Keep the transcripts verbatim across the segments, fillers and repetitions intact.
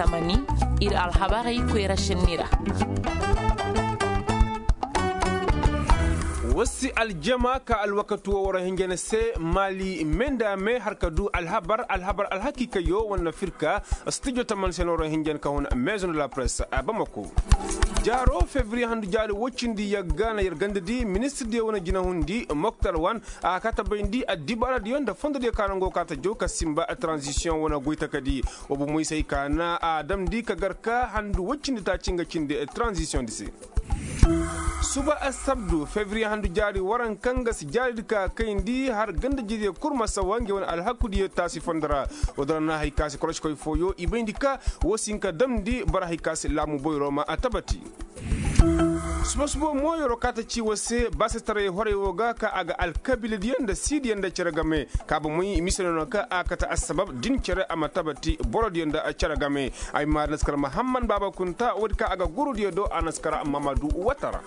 Tamani, ir alhabarey koyra šenni ra. Wasi aljama ka alwakati wo war hinjana se maali me nda me har ka du alhabar alhabar alhakiikayo wane firka. Studio tamani se no war hinjana ka hun maison de la presse a bamako. Jaaro fevriye handu jaari woy cindi yagga na yer ganda di ministir diyo wane jinahundi moktar wan a ka ta bayndi addibaara diyo nda fondo diyo ka nango ka ta jaw ka simba tranzisiyoŋ wane goy taka di. Wa bomoy se ay ka na a damndi ka gar ka handu woy cindi taaci nga cindi tranzisiyoŋ di se. Suba assabdu fevriye handu jaari waranka nga si jaari di ka kayndi har ganda jiriyo kul ma sawa ngey wane alhakudiyo taasi fondo ra. Woo din ra na hari ka si koroskoy fooyo i bayndi ka woo si hin ka damndi boro hari ka si laamu boyro ma a tabati. Suba suba mo yeroo ka ta ci war se baasetaray horey woo ga ka a ga alkabiiladiyo nda siidiyo nda cere game. Ka bomoy mise no no ka a kate assabab din cere a ma tabati borodiyo nda cere game. Ay ma naskar mahamman baaba kunta woodi ka a ga gurudiyo do a naskar mamadu watara.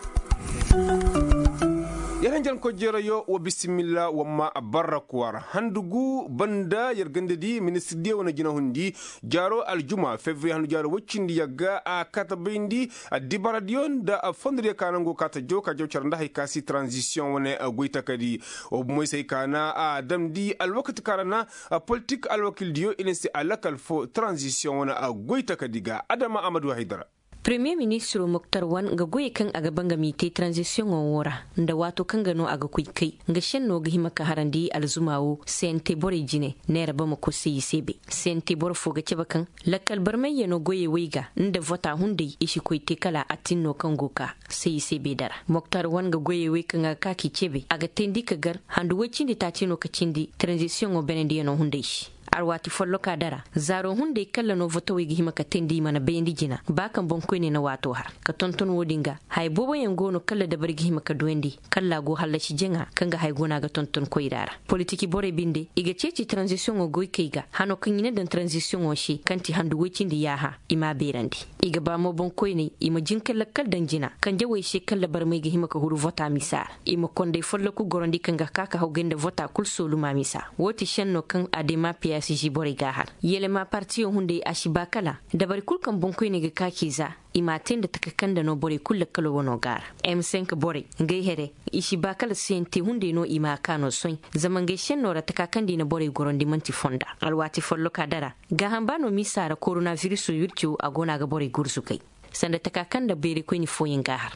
Yer hinjankoy jeerayo wa bisimilla wa ma barra kuwar handugu banda yer ganda di ministirdiyo wane jinahundi. Jaaro aljuma fevriye handu jaaro woy cindi yagga a kate bayndi addibaradiyo nda fondodiyo ka nangu ka ta jaw ka jaw care nda hari ka si tranzisiyoŋ wane goy taka di. Wa bomoy se ay ka na a damndi alwakati ka ra na politik alwakiildiyo i na si a lakal fo tranzisiyoŋ wane goy taka di ga adama amadu haydara. Premiye ministiroo moktar wan nga goyey kaŋ a ga ba nga m'i te tranzisiyoŋo woo ra nda waatoo kaŋ ga no a ga koy kay nga šennoo ga hima ka harandi alzuma woo sente borey jine. Neera bamako se i se bay sente boro foo ga cabe kaŋ lakkal barmayyanoo goyey wey ga nda vota hunday i si koy te kala a tinnoo kaŋ go ka se i se bay dara moktar wan nga goyey wey kaŋ a ga ka k'i cebe a ga teendi ka gar handu woy cindi taaci no ka cindi tranzisiyoŋo benendiyanoo hunday se. Alwaati follokaa dara zaaroo hunday kalla no votowey ga hima ka teendi i mana bayandi jina ba kaŋ boŋkoyney na waatoo har ka tonton woo din ga haya booboyaŋ go no kalla dabari ga hima ka duyandi kalla a go hallasi jaŋa kaŋ ga haya guna ga tonton koyra ra. Politiki borey binde i ga ceeci taranzisiyoŋo goykey ga hano kaŋ i na daŋ taranzisiyoŋo se kaŋ ti handu woy cindi yaaha i m'a beerandi. I ga ba mo boŋkoyney i ma jin ka lakkal daŋ jina kanje wey se kalla barmey ga hima ka huru vota misa ra. I ma konday folloku gorandi kaŋ ga ka ka hawgay nda vota kul sooluma misa. Woo ti šenno kaŋ adema piyasiji borey g'a har yelema partiyo hunday a si ba kala dabari kul kaŋ boŋkoyney ga ka k'i za. I m'a te nda taka kaŋ nda no borey kul lakkalo wano g'a ra. M cinq borey ngey here i si ba kala siyante hunday no i m'a ka no soy. Zama ngey senno ra taka kaŋ nda i na borey gorandi man'ti fonda. Alwaati folloka dara gaaham ba no misa ra korona viriso wirco a go no a ga borey gurzugay sanda taka kaŋ nda beeraykoyni fooyaŋ g'a har.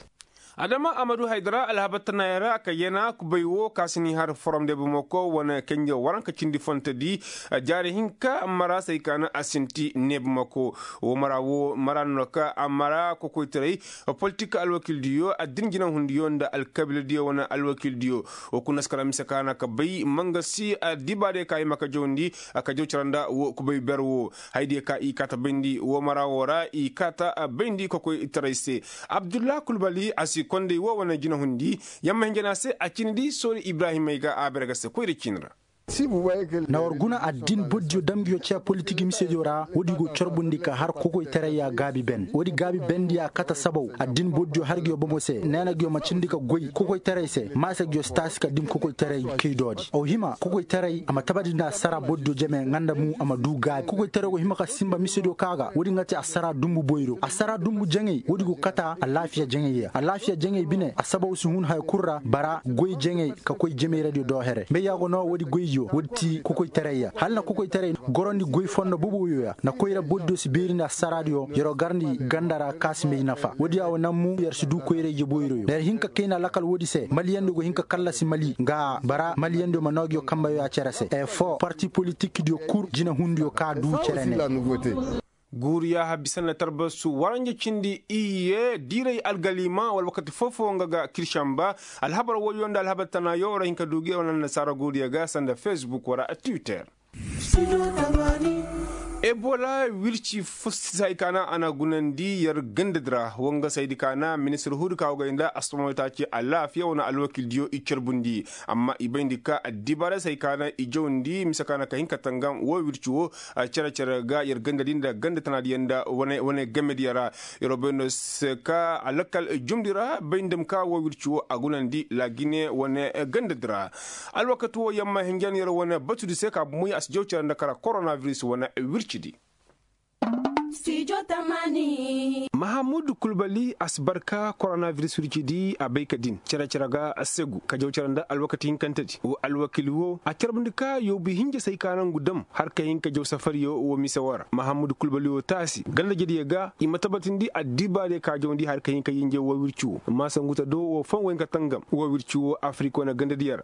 Adama amadu haydara alhabar tanaayey ra ka yana kubay wo ka si ni har forom de bamako wane kanjey waranka cindi fontodi. Jaari hinka mara se ay ka na a sinti ne bamako. Wo mara wo mara no ka a mara kokoytaray politik alwakiildiyo addin jinahundiyo nda alkabiiladiyo wane alwakiildiyo. Wo kuna si kala mise ka na ka bay mangasi addibaadiyo ka hima ka jawndi ka jaw cara nda wo kubay ber wo. Haydiyo ka i kaata bayndi wo mara wo ra i kaata bayndi kokoytaray se. Abdulla kulbali a si konday wo wane jinahundi. Yamma hinjana se a cindi soori ibrahimey ga a bere ga se koyra ciini ra. Na war guna addin bordiyo damgiyo ce politik misediyo ra woodi go corbundi ka har kokoytarayya gaabi ben woodi gaabi bendiya kate sabaw addin bordiyo hargiyo bomo se neena giyo ma cindi ka goy kokoytaray se maasa giyo si taasi ka dim kokoytaray kaydoodi aw hima kokoytaray a ma tabandi nda assara bordiyo jeme nga nda mu a ma du gaabi kokoytaray go hima ka sinba misediyo ka ga woodi nga te assara dumbu boyro assara dumbu jaŋay woodi go kata alaafiya jaŋay ya alaafiya jaŋay bine a sabaw si hun haya kul ra bara goy jaŋay ka koy jemayradiyo do here mbeya go no woodi goyyo woodi ti kokoytaray ya hala na kokoytaray gorondi goy fondo boboyo ya na koyra bordiyo si beeri nda assaradiyo yer'o garndi ganda ra ka si may nafa woodi ya wo naŋ mu yer si du koyra ije boyroyo na yer hin ka kayna lakal woodi se maliyandiyo go hin ka kallasi mali nga bara maliyandiyo ma noo nguyo kambeyo ya cere se effort parti politikdiyo kul jinahundiyo ka du cere ne. Guuru yaaha bisa nda tarbasu waranja cindi iyye diiray algaliima wala wakati foo-foo nga ga kiršamba. Alhabar woyo nda alhabar tanaayo war hin ka du gi war nda nasaara guuruyo ga sanda facebook wala twitter. Ebola wirci fo si hay ka na a na gunandi yer gandadi ra woo nga saydi ka na ministir huudi ka woo gay nda astomawitaaci alaafiya wane alwakiildiyo i carbundi. Amma i bayndi ka addibaarey se hay ka na i jawndi mise ka na ka hin ka tangam woo wirci woo. Cere-cere ga yer gandadi nda ganda tanaadiyaŋ nda wane gamediyaŋ ra. Yer wo bay no se ka a lakkal jumndi ra bay nda ma ka woo wirci woo a gunandi laagine wane gandadi ra. Alwakati woo yamma hinjan yer wane batudi se ka bumoy a si jaw cere nda kara koronabiris wane wircidi. Mahamudu kulbali a si barka koronabiris wirci di a bay ka din cere-cere ga segu ka jaw cere nda alwakati hinkante di wo alwakil wo a carbundi ka yoobu hinja se ay ka nangu dam har ka hin ka jaw safariyo wo mise wo ra mahamudu kulbali wo taasi ganda jediyo ga i ma tabatindi addibaadiyo ka jawndi har ka hin ka yinje wo wirci wo maasanguta do wo fon wo hin ka tangam wo wirci wo afirik wane gandadiyo ra.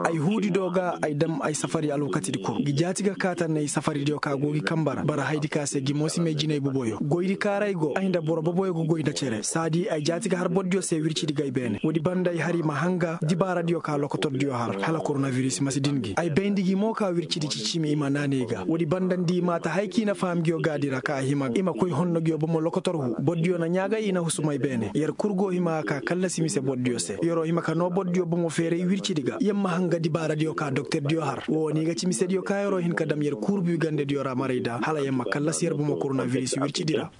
Ay huudi do ga ay dam ay safari alwakatidi kul gi jaati ga kaata ne ay safaridiyo ka go gi kamba ra bara haydi ka se gi moosimey jinay boboyo goydi kaaray go ay nda boro boboyo go goy nda cere saadi ay jaati ga har bordiyo se wircidi ga ay beene woodi banda ay har i ma hanga dibaaradiyo ka lokotordiyo har hala koronabiris ma si din gi ay bayndi gi mo ka wircidi cicimi i ma naanay ga woodi banda nda i maata hay ka i na faham ngiyo gaadi ra ka a hima i ma koy honno ngiyo bomo lokotor hu bordiyo na ɲaagay i na husumay beene yer kul go hima ka kallasi mise bordiyo se yer'o hima ka noo bordiyo bomo feeray wircidi ga yer ma hanga dibaaradiyo ka doktordiyo har woo ni ga ci misediyo ka yer'o hin ka dam yer kuurubi gandediyo ra maray da hala yer ma kallasi yer bomo koronabiris wircidi ra.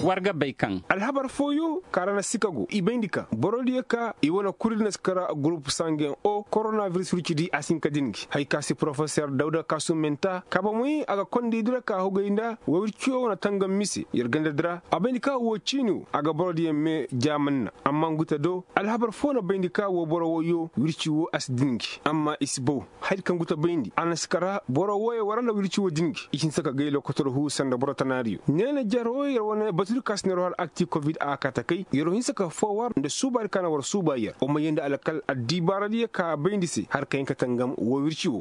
War ga bay kaŋ alhabar fooyo kaŋ ra na sikago i bayndi kaŋ borodiyo ka i wane kurdi na si kara gurup sangeŋ o koronabiris wircidi a si hin ka din gi hay ka si porofeser dawda kaasumenta kaaba moy a ga kondaydi ra ka hugay nda wirci wo wane tangam mise yer gandadi ra a bayndi ka woo ciini wo a ga borodiyo me jaamanna amma ngu te do alhabar foo na bayndi ka woo boro woyo wirci woo a si din gi amma i si baw haydi kaŋ ngu te bayndi a na si kara boro woyo war nda wirci woo din gi i hinsa ka gay lokotor hu sanda boro tanaariyo neena jaro yer wane batudi ka si neeroo har akti kovid a kaata kay yer'o hinsa ka foowar nda suubaadi ka na war suuba yer o ma yee nda alkal addibaaradiyo ka bayndi se har ka hin ka tangam woo wirci woo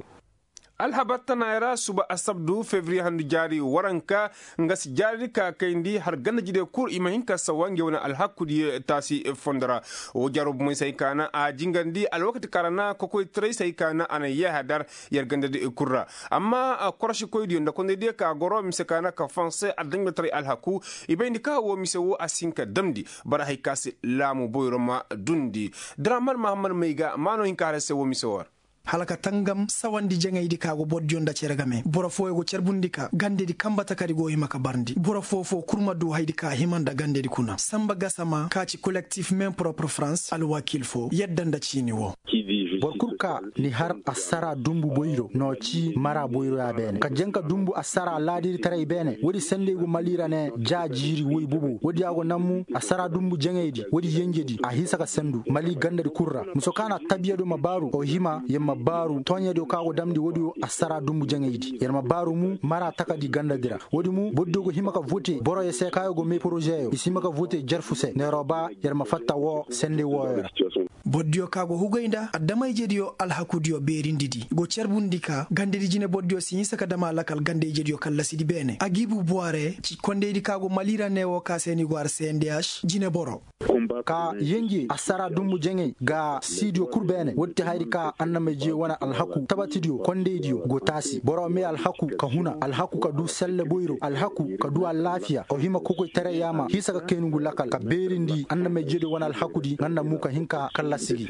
alhabar tanaaya ra suba asabdu febriye handu jaari waranka nga si jaaridi ka kayndi har ganda jide kul i ma hin ka sawa nge wane alhakudiyo taasi fondo ra woo jaaro bomey se hay ka na a jingandi alwakati kaŋ ra na kokoytaray se hay ka na a na yeeha dar yer gandadi kul ra amma korosikoydiyo nda kondaydiyo ka goro mise ka na ka fonse adamjataray alhaku i bayndi ka woo mise woo a si hin ka damndi bara hay ka se laamu boyro ma dundi draman mahammad may ga maano hin ka har se woo mise woo ra hala ka tangam sawandi jaŋaydi ka go bordiyo nda cere game boro fooyo go carbundi ka gandedi kamba takadi go hima ka barndi boro foo-foo kul ma du haydi ka hima nda gandedi kuna samba gasama ka ci kolektif men propre france alwakil foo yadda nda ciini woo boro kul ka ni har assara dumbu boyro no ci mara boyro ya beene ka jaŋ ka dumbu assara laadiri taray beene woodi sendey go mali ra ne ja jiiri woy bobo woodi ya go nammu assara dumbu jaŋaydi woodi yenjedi a hinsa ka sendu mali gandadi kul ra muso ka na tabiya do ma baaru o hima yer ma baaru tooɲediyo ka go damndi woodi wo assara dumbu jaŋaydi yer ma baaru mu mara takadi gandadi ra woodi mu borodiyo go hima ka vote boroyo se ka yo go me porozeyo i si hima ka vote jarfu se neeroo ba yer ma fatta woo sendey wooyo ra borodiyo ka go hugay nda adama-ijediyo alhakudiyo beerindidi go carbundi ka gandedi jine borodiyo si hinsa ka dam a lakal ganda-ijediyo kallasidi beene agiibu buware ci kondaydi ka go mali ra ne woo ka se ni go har cndh jine boro ka yenje assara dumbu jaŋay ga siidiyo kul beene woodi ti hayri ka annamay je wane alhaku tabatidiyo kondaydiyo go taasi boro me alhaku ka huna alhaku ka du selle boyro alhaku ka du alaafiya o hima kokoytaray yaama hiisa ka kayni ngu lakal ka beerindi annamay jediyo wane alhakudi nga nda mu ka hin ka kallasi gi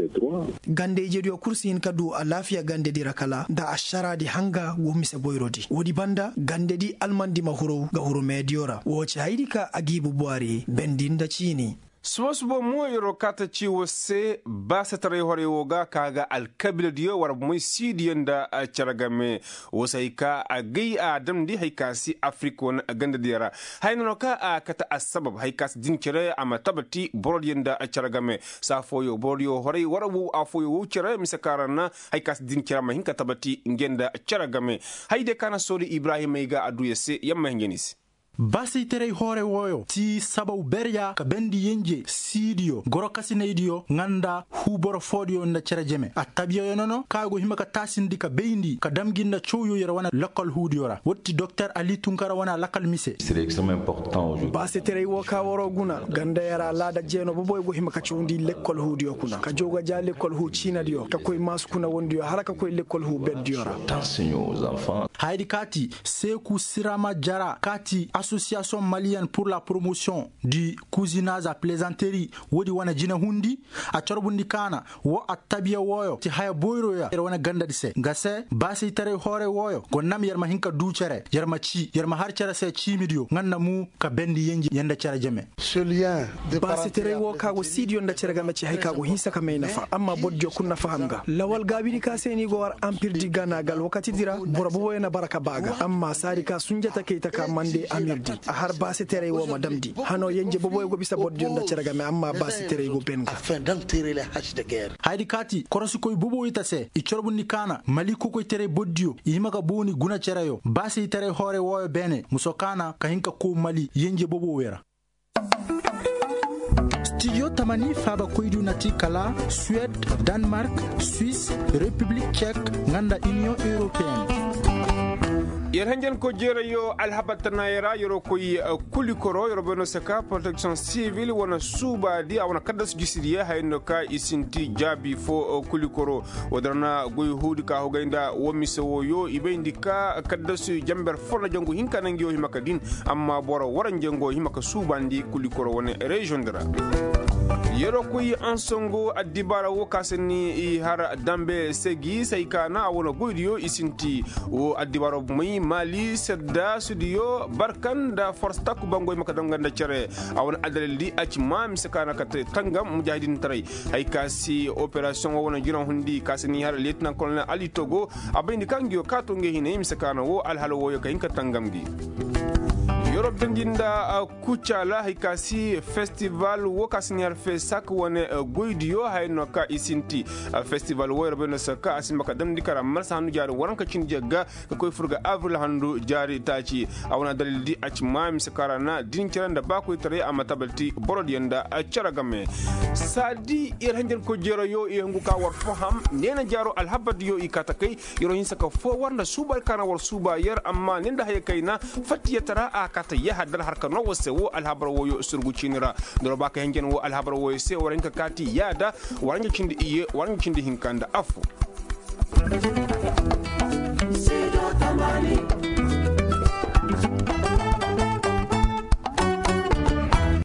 ganda ijediyo kul si hin ka du alaafiya gandedi ra kala nda ašaraadi hanga go mise boyrodi woodi banda gandedi almandi ma huru ga huru meediyo ra woo ci hayri ka agiibu buwari bendi nda ciini suba-suba mo yer'o kaata ci woo se baasetaray horey woo ga ka ga alkabiiladiyo war moy siidiyo nda cere game woo se hay ka agay a damndi hay ka si afirik wane gandadiyo ra haya no ka a kate assabab hay ka si din cere a ma tabati borodiyo nda cere game saa fooyo borodiyo horey war wow affooyo wow cere mise ka ra na hay ka si din cere a ma hin ka tabati nge nda cere game hayadiyo ka na soodi ibrahimey ga adduya se yer ma hin jani se baasaytaray hoore wooyo ti sabaw berya ka bendi yenje siidiyo gorokasinaydiyo nga nda huu boro foodiyo nda cere jeme attabiyayo nono kaŋ a go hima ka taasindi ka bayndi ka dam gi nda cawyo yer wane lakkal huudiyo ra woodi ti doktor ali tunkara wane alakal mise baasaytaray woo ka waroo guna ganda yer alaada jeeno boboyo go hima ka cawndi lekkol huudiyo kuna ka jaw ga ja lekkol huu ciinadiyo ka koy maasu kuna wondiyo hala ka koy lekkol huu berdiyo ra hayadi kaati seeku sirama jara kaati Asosiyasiyoŋ maliyen pur la poromosiyoŋ di kuzinaz a plezanteri, woodi wane jine hundi. A corbundi kaana wo attabiya wooyo ti haya boyroya yer wane gandadi se nga se baasaytaray hooray wooyo go nam yer ma hin ka duu cere yer ma cii yer ma har cere se ciimidiyo nga nda mu ka bendi yenji yer nda cere jeme. Baasitaray wo ka go siidiyo nda cere game ci hari ka go hinsa ka may nafa amma bordiyo kul na faham ga lawal gaabidi ka se ni go war ampirdi gana ga alwakatidi ra boro boboyo na bara ka ba ga amma saadi ka sunjata kay taka mande amirdi a har baasitaray wo ma damndi hano yenje boboyo go bisa bordiyo nda cere game amma baasitaray go ben ga. Hayadi kaati korosikoy boboyo ta se i corbundi kaana mali kokoytaray bordiyo i hima ga booni guna cereyo baasitaray hooray wooyo beene muso kaana ka hin ka koo mali yenje boboyo ra. Stidiyo tamani faabakoydiyo na ti kala suwed, danmark, swis, repiblik cek, nga nda iniyoŋ europeyene. Yer hanjankoy jeerayo alhabar tanaayey ra yeroo koy kulikoro yeroo bay no saka poroteksiyoŋ sivil wane suubaadi a wane kaddasu jisidiyo haya no ka i sinti jaabi foo kulikoro. Woodin ra na goy huudi ka hogay nda woo mise wooyo i bayndi ka kaddasu janber foo nda jangu hinka na nga yoo hima ka din amma boro waranja nga wo hima ka suubandi kulikoro wane reziyoŋ di ra. Yeroo koy ansongo addibaara woo ka se ni i har dambe segi se hay ka na a wane goydiyo i sinti woo addibaara may maali sedda sudiyo barkan nda forse takku bangoy ma ka danga nda cere. A wane addalildi a ci maa mise ka na ka te tangam mujaahidintaray. Hay ka si operasiyoŋ woo wane jina hundi ka si ni har leetinan kolonel ali togo a bayndi ka ngi yoo kaato ngi hinay mise ka na woo alhala wooyo ka hin ka tangam gi. Yorob dandi nda kucaala hay ka si festival woo ka si ni har fesak wane goydiyo haya no ka i sinti. Festival woo yorob bay no saka a si ma ka damndi kara marsa hannu jaari waranka cindi jagga ka koy fur ga abril handu jaari taaci. A wane dalil di a ci maa mise kaŋ ra na din cere nda baakoytaray a ma tabalti borodiyo nda cere game. Saadi yer hanjankoy jeerayo i hungu ka war faham neena jaaro alhabardiyo i kaa ta kay. Yer wo hinsa ka foo war nda suuba ka na war suuba yer amma ne nda haya kayna fattiyataraa a kaa ta yahadar har ka noo war se woo alhabar wooyo surgu ciini ra. Nda war ba ka hanjan woo alhabar wooyo se war hin ka kaati yaada. War nga cindi iyye war nga cindi hinka nda affo.